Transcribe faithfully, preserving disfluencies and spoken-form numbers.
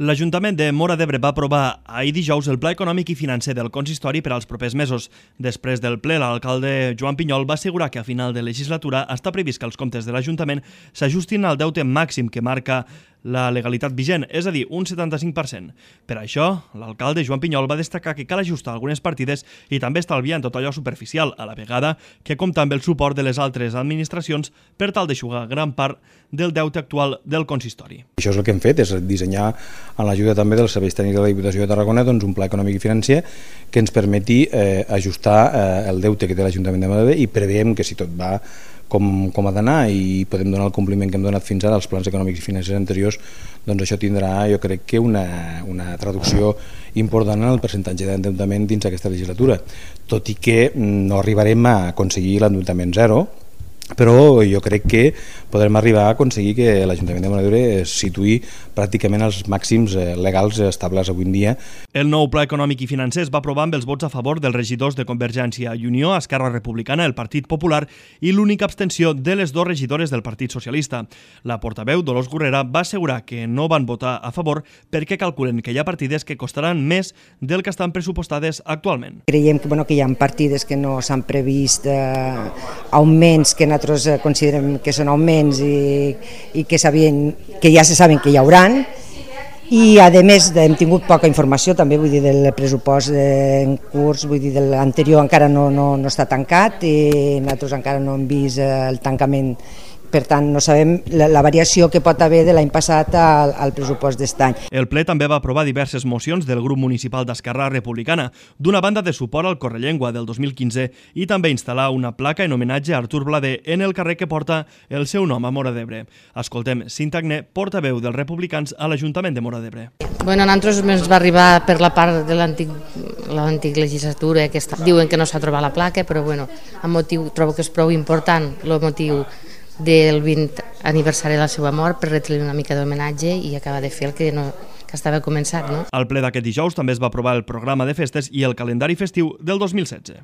L'Ajuntament de Móra d'Ebre va aprovar ahir dijous el Pla Econòmic i Financer del Consistori per als propers mesos. Després del ple, l'alcalde Joan Pinyol va assegurar que a final de legislatura està previst que els comptes de l'Ajuntament s'ajustin al deute màxim que marca la legalitat vigent, és a dir, un setanta-cinc per cent. Per això, l'alcalde Joan Pinyol va destacar que cal ajustar algunes partides i també estalviar en tot allò superficial, a la vegada que compta amb el suport de les altres administracions per tal d'eixugar gran part del deute actual del consistori. Això és el que hem fet, és dissenyar amb l'ajuda també dels serveis tècnics de la Diputació de Tarragona doncs, un pla econòmic i financer que ens permeti eh, ajustar eh, el deute que té l'Ajuntament de Móra d'Ebre i preveiem que si tot va com, com ha d'anar i podem donar el compliment que hem donat fins ara als plans econòmics i financers anteriors, doncs això tindrà, jo crec que una, una traducció important en el percentatge d'endeutament dins aquesta legislatura, tot i que no arribarem a aconseguir l'endeutament zero, però jo crec que podrem arribar a aconseguir que l'Ajuntament de Móra d'Ebre es situï pràcticament als màxims legals estables avui en dia. El nou Pla Econòmic i Financer es va aprovar amb els vots a favor dels regidors de Convergència i Unió, Esquerra Republicana, el Partit Popular i l'única abstenció de les dues regidores del Partit Socialista. La portaveu, Dolors Gurrera, va assegurar que no van votar a favor perquè calculen que hi ha partides que costaran més del que estan pressupostades actualment. Creiem que, bueno, que hi ha partides que no s'han previst eh, augments que nosaltres considerem que són augments i, i que, sabien, que ja se saben que hi hauran, i a més hem tingut poca informació també, vull dir, del pressupost en curs, vull dir, de l'anterior encara no, no, no està tancat i nosaltres encara no hem vist el tancament. Per tant, no sabem la, la variació que pot haver de l'any passat al, al pressupost d'aquest any. El ple també va aprovar diverses mocions del grup municipal d'Esquerra Republicana, d'una banda de suport al Correllengua del dos mil quinze i també instal·lar una placa en homenatge a Artur Blader en el carrer que porta el seu nom a Móra d'Ebre. Escoltem Cinta Agné, portaveu dels republicans a l'Ajuntament de Móra d'Ebre. Bueno, a nosaltres ens va arribar per la part de l'antic legislatura que està, diuen que no s'ha trobat la placa, però bueno, el motiu trobo que és prou important, el motiu del vint aniversari de la seva mort, per retre-li una mica d'homenatge i acabar de fer el que, no, que estava començat. No? Al ple d'aquest dijous també es va aprovar el programa de festes i el calendari festiu del dos mil setze.